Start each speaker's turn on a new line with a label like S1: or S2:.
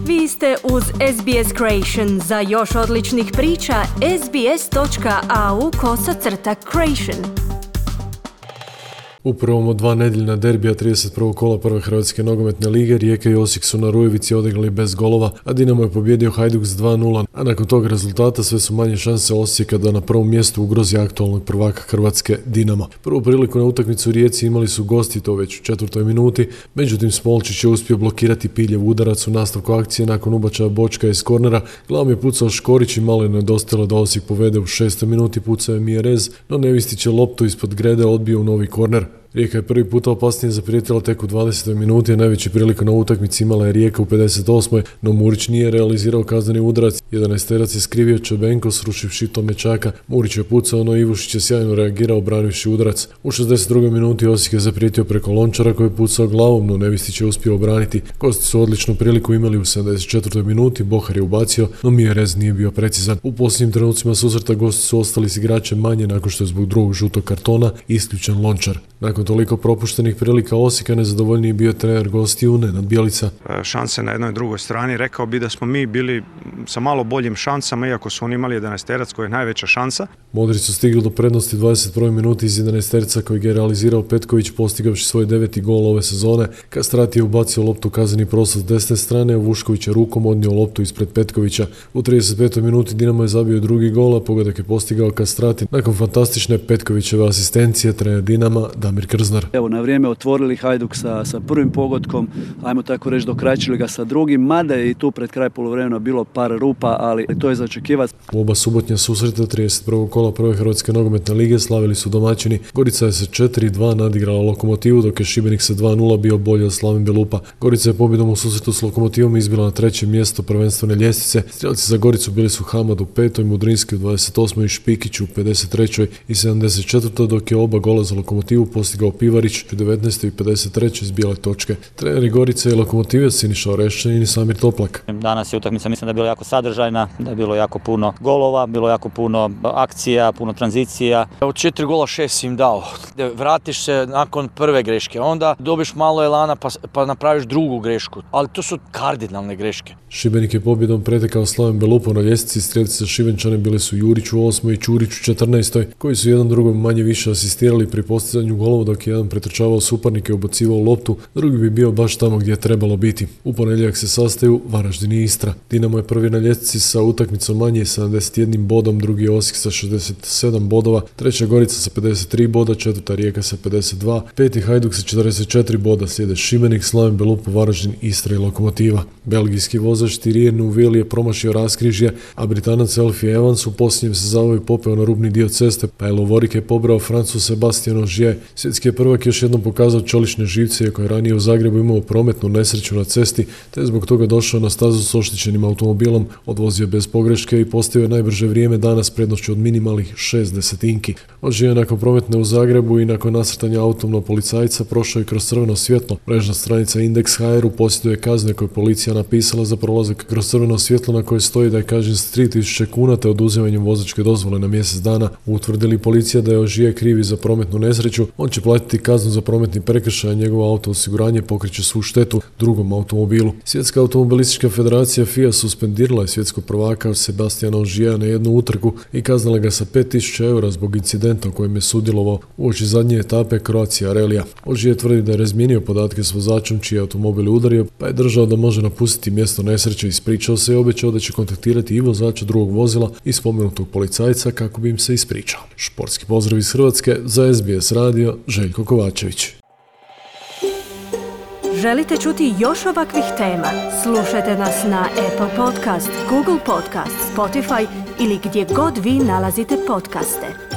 S1: Vi ste uz SBS Creation. Za još odličnih priča, sbs.au/creation.
S2: U prvom od dva nedeljna derbija 31. kola prve Hrvatske nogometne lige Rijeka i Osijek su na Rujevici odigrali bez golova, a Dinamo je pobjedio Hajduk s 2:0, a nakon tog rezultata sve su manje šanse Osijeka da na prvom mjestu ugrozi aktualnog prvaka Hrvatske Dinamo. Prvu priliku na utakmicu u Rijeci imali su gosti, to već u 4. minuti, međutim Smolčić je uspio blokirati Piljev udarac u nastavku akcije nakon ubačaja Bočka iz kornera. Glavom je pucao Škorić i malo je nedostajalo da Osijek povede u 6. minuti, pucao je Mjerez, no Nevistić je loptu ispod grede odbio u novi korner. Rijeka je prvi puta opasnije zaprijetila tek u 20. minuti, a najveći priliku na utakmici imala je Rijeka u 58. no Murić nije realizirao kazneni udarac. 11-terac je skrivio Čebenko srušivši Tomečaka. Murić je pucao, no Ivušić je sjajno reagirao branivši udarac. U 62. minuti Osijek je zaprijetio preko Lončara koji je pucao glavom, no Nevistić je uspio obraniti. Gosti su odličnu priliku imali u 74. minuti, Bohar je ubacio, no Mjerez nije bio precizan. U posljednjim trenucima susreta gosti su ostali s igračem manje nakon što je zbog drugog žutog kartona isključen Lončar. Nakon toliko propuštenih prilika Osijeka nezadovoljniji bio trener gostiju Nenad Bjelica.
S3: Šanse na jednoj i drugoj strani, rekao bi da smo mi bili sa malo boljim šansama, iako su oni imali 11-terac koji je najveća šansa.
S2: Modri su stigli do prednosti 21. minuti iz 11-terca kojeg je realizirao Petković postigavši svoj 9. gol ove sezone. Kastrati je ubacio loptu u kazneni prostor s desne strane, a Vušković je rukom odnio loptu ispred Petkovića. U 35. minuti Dinamo je zabio drugi gol, a pogodak je postigao Kastrati nakon fantastične Petkovićeve asistencije. Trener Dinama Damir Krznar.
S4: Evo, na vrijeme otvorili Hajduk sa prvim pogodkom, ajmo tako reći dokračili ga sa drugim, mada je i tu pred kraj poluvremena bilo par rupa, ali to je za očekivati.
S2: U oba subotnja susreta 31. kola prve Hrvatske nogometne lige slavili su domaćini. Gorica je se 4:2 nadigrala Lokomotivu, dok je Šibenik sa 2:0 bio bolji od Slaven Belupa. Gorica je pobjedom u susretu s Lokomotivom izbila na 3. mjesto prvenstvene ljestvice. Strelci za Goricu bili su Hamad u 5., Mudrinski u 28. i Špikić u 53. i 74. dok je oba gola za Lokomotivu postigao Pivarić u 19. i 53. iz bijele točke. Treneri Gorice i Lokomotive Siniša Orešćanin i Samir Toplak.
S5: Danas je utakmica, mislim da je bila jako sadržajna, da je bilo jako puno golova, bilo jako puno akcija, puno tranzicija.
S6: Od 4 gola 6 im dao. Vratiš se nakon prve greške, onda dobiš malo elana pa napraviš drugu grešku, ali to su kardinalne greške.
S2: Šibenik je pobjedom pretekao Slaven Belupo na ljestvici. Strelci za Šibenčane bili su Jurić u 8. i Čurić u 14. koji su jedan drugom manje više asistirali pri postizanju golova, dok je jedan pretrčavao suparnike i ubacivao loptu, drugi bi bio baš tamo gdje je trebalo biti. U ponedjeljak se sastaju Varaždin i Istra. Dinamo je prvi na ljestvici sa utakmicom manje 71 bodom, drugi je Osijek sa 67 bodova, treća Gorica sa 53 boda, četvrta Rijeka sa 52, peti Hajduk sa 44 boda, slijede Šibenik, Slaven Belupo, Varaždin, Istra i Lokomotiva. Belgijski vozač Thierry Neuville je promašio raskrižje, a Britanac Elfie Evans u posljednjem se zavoju popeo na rubni dio ceste, pa je Lovorik je pobrao Francuz Sebastien Ogier. Svjetski je prvak još jednom pokazao čelične živce, iako je ranije u Zagrebu imao prometnu nesreću na cesti, te je zbog toga došao na stazu s oštećenim automobilom, odvozio bez pogreške i postavio najbrže vrijeme danas prednošću od minimalnih 6 desetinki. Ogier je nakon prometne u Zagrebu i nakon nasrtanja autom na policajca prošao i kroz crveno svjetlo. Mrežna stranica Index.hr posjeduje kazne koje policija napisala za prolazak kroz crveno svjetlo, na koje stoji da je kažnjen s 3000 kuna te oduzimanjem vozačke dozvole na mjesec dana. Utvrdili policija da je Ogier krivi za prometnu nesreću, on će platiti kaznu za prometni prekršaj, a njegovo auto osiguranje pokriće svu štetu drugom automobilu. Svjetska automobilistička federacija FIA suspendirala je svjetskog prvaka Sebastiana Ogiera na jednu utrku i kaznila ga sa 5000 eura zbog incidenta u kojem je sudjelovao uoči zadnje etape Croatia Rallija. Ogier tvrdi da je razmijenio podatke s vozačom čiji je automobil udario, pa je držao da može napustiti mjesto nesreće, ispričao se i obećao da će kontaktirati i vozača drugog vozila i spomenutog policajca kako bi im se ispričao. Športski pozdrav iz Hrvatske za SBS radio, Željko Kovačević.
S1: Želite čuti još ovakvih tema? Slušajte nas na Apple Podcast, Google Podcast, Spotify ili gdje god vi nalazite podcaste.